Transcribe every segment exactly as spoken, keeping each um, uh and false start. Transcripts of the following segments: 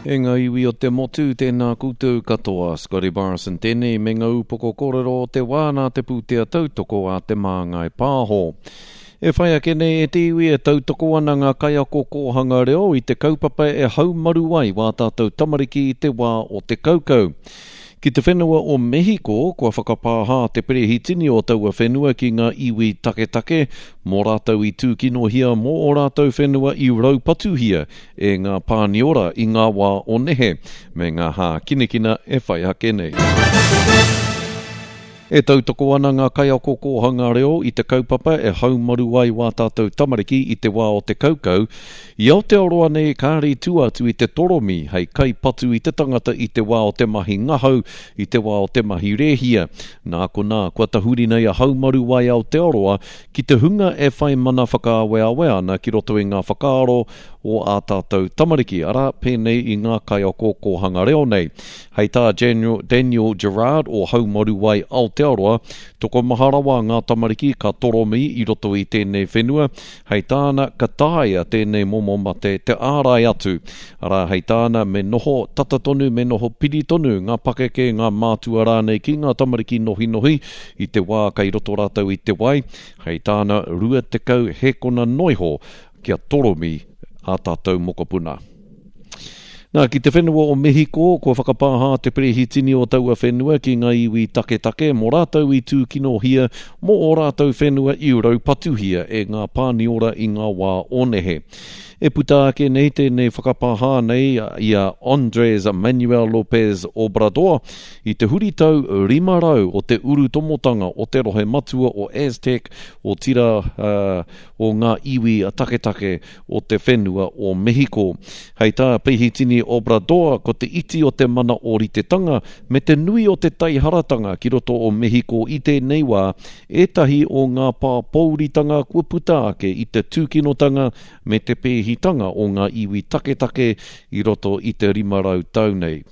E ngā iwi o te motu, tēnā koutou katoa. Scotty Morrison tēnei me ngā upoko kōrero o te wā nā te pūtea tautoko a Te Māngai Pāho. E whai ake nei e te iwi e tautoko ana ngā kaiako kōhanga reo i te kaupapa e haumaru ai wā tātou tamariki i te wā o te kaukau. Ki te whenua o Mehiko, kua whakapāhā te perehitini o taua whenua ki ngā iwi taketake, mō rātou i tūkinohia mō o rātou whenua i raupatuhia e ngā Pāniora i ngā wā o nehe, me ngā hākinakina e whai ake nei. E tautoko ana ngā kaiako kōhanga reo i te kaupapa e haumaru ai wā tātou tamariki i te wā o te kaukau. I Aotearoa nei kāre i tua atu i te toromi hei kaipatu i te tangata i te wā o te mahi ngahau, i te wā o te mahi rēhia. Nā konā, kua tahuri nei a Haumaru Ai Aotearoa ki te hunga e whai mana whakaaweawe ana ki roto i ngā whakaaro o ā tātou tamariki, arā, pēnei i ngā kaiako kōhanga reo nei. Hei tā Daniel Gerard o Haumaru Ai Aotearoa, tokomaha rawa ngā tamariki ka toromi i roto i tēnei whenua, hei tāna ka taea tēnei momo mate te ārai atu. Arā, hei tāna me noho tata tonu, me noho piri tonu ngā pakeke, ngā mātua rānei ki ngā tamariki nohinohi i te wā kei roto rātou i te wai, hei tāna rua tekau hēkona noiho kia toromi ā tātou mokopuna. Nā, ki te whenua o Mehiko, kua whakapāhā te perehitini o taua whenua ki ngā iwi taketake mō rātou i tūkinohia mō ō rātou whenua i raupatuhia e ngā Pāniora i ngā wā o nehe. E puta ake nei tēnei whakapāhā nei i a Andrés Manuel López Obrador i te huritau rima rau o te urutomotanga o te rohe matua o Aztec, otirā o ngā iwi taketake o te whenua o Mehiko. Hei tā Pehitini Obrador, ko te iti o te mana ōritetanga me te nui o te taiharatanga ki roto o Mehiko i tēnei wā, ētahi o ngā pāpouritanga kua puta ake i te tūkinotanga me te pēhitanga o ngā iwi taketake i roto i te rima rau tau nei.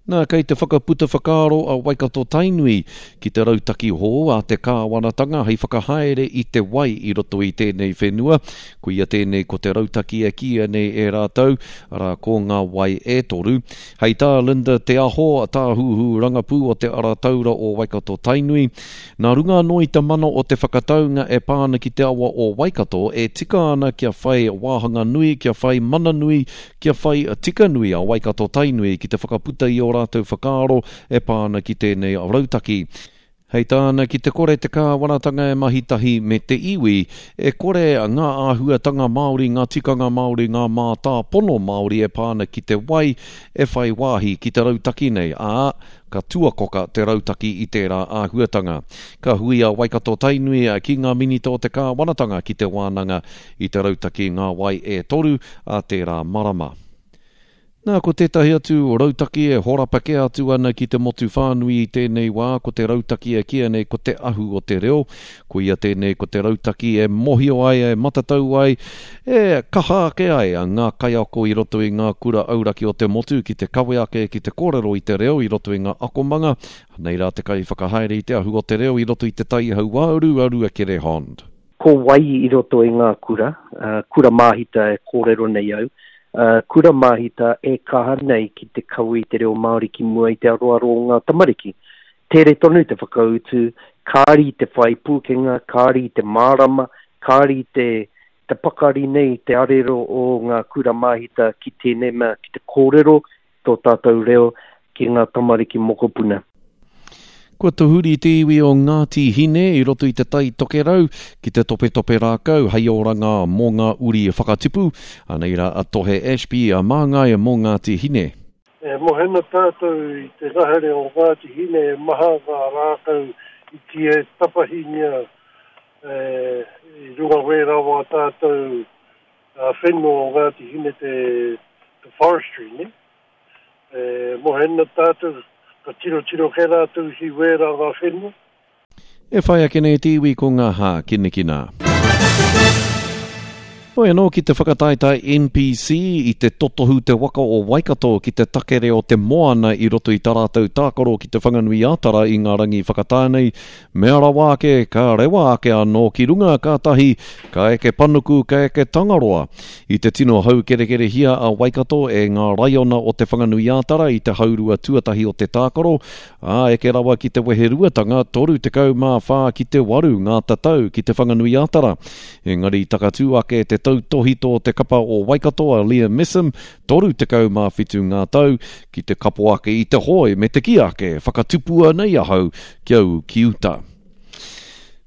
Nā, kei te whakaputa whakaaro a Waikato Tainui ki te rautaki hou a te kāwanatanga hei whakahaere i te wai i roto i tēnei whenua. Koia tēnei ko te rautaki e kīia nei e rātou, arā ko ngā wai e toru. Hei tā Linda Te Aho, tāhuhu rangapū o te Ara Taura o Waikato Tainui, nā runga anō i te mana o te whakataunga e pā ana ki te awa o Waikato, e tika ana kia whai wāhanga nui, kia whai mana nui, kia whai tika nui a Waikato Tainui ki te whakaputa i ō rātou whakaaro e pā ana ki tēnei rautaki. Hei tāna, ki te kore te kāwanatanga e mahi tahi me te iwi, e kore ngā āhuatanga Māori, ngā tikanga Māori, ngā mātāpono Māori e pā ana ki te wai e whai wāhi ki te rautaki nei, ā, ka tuakoka te rautaki i tērā āhuatanga. Ka hui a Waikato Tainui ki ngā minita o te kāwanatanga ki te wānanga i te rautaki Ngā Wai e Toru a tērā marama. Nā, ko tētahi atu rautaki e horapa kē atu ana ki te motu whānui i tēnei wā, ko te rautaki e kīia nei ko te ahu o te reo. Koia tēnei ko te rautaki e mohio ai, e matatau ai, e kaha ake ai ngā kaiako i roto i ngā kura auraki o te motu ki te kawe ake, ki te kōrero i te reo i roto i ngā akomanga. Nei rā te kaiwhakahaere i te ahu o te reo i roto i te Tai Hauāuru, a Ruakere Hond. Ko wai i roto i ngā kura, kura māhita e kōrero nei au, kura māhita e kaha nei ki te kawe i te reo Māori ki mua i te aroaro o ngā tamariki. Tere tonu te whakautu, kāri te whai pūkenga, kāri te mārama, kāri te, te pakari nei te arero o ngā kura māhita ki tēnei mea, ki te kōrero tō tātou reo ki ngā tamariki mokopuna. Kua tahuri te iwi o Ngāti Hine i roto i te Tai Tokerau ki te topetope rākau hei oranga mō ngā uri whakatipu. Anei rā a Tohe Ashby, a māngai mō Ngāti Hine. E mohena tātou i te ngahere o Ngāti Hine e maha ngā rākau i tia tapahingia e, i runga wērā wā tātou whenua o Ngāti Hine te, te forestry, ne? E mohena tātou ka tirotiro kē rātou ki wērā ngā whenua. E whai ake nei te iwi ko ngā hākinakina. Hoi anō ki te whakataetae N P C i te totohu te waka o Waikato ki te takere o te moana i roto i tā rātou tākaro ki Te Whanganui-a-Tara i ngā rangi whakatā nei. Mea rawa ake, ka rewa ake anō ki runga kātahi, ka eke panuku, ka eke Tangaroa. I te tino haukerekerehia a Waikato e ngā raiona o Te Whanganui-a-Tara i te haurua tuatahi o te tākaro, ā, eke rawa ki te weheruatanga toru tekau mā whā ki te waru ngā tatau ki Te Whanganui-a-Tara. Engari takatū ake te tautohito o te kapa o Waikato a Liam Messam, toru tekau mā whitu ngā tau, ki te kapo ake i te hoe me te kī ake, whakatupua nei ahau kia ū ki uta.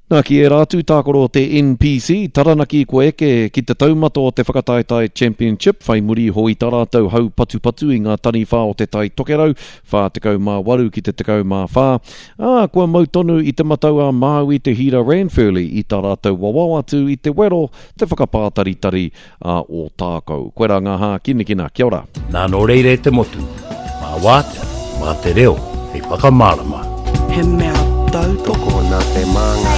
Nā, ki ērā atu tākaro o te N P C, Taranaki kua eke ki te taumata o te whakataetae Championship, whai muri iho i tā rātou hau patupatu i ngā taniwha o te Tai Tokerau, whā tekau mā waru ki te tekau mā whā, ā, kua mau tonu i te Matau a Māui te Hira Ranfurly i tā rātou wawao atu i te wero te whakapātaritari a Ōtākou. Koirā ngā hākinakina. Kia ora. Nā nō reira e te motu, mā wātea, mā te reo, hei whakamārama. He mea tautoko Tokona te māngai.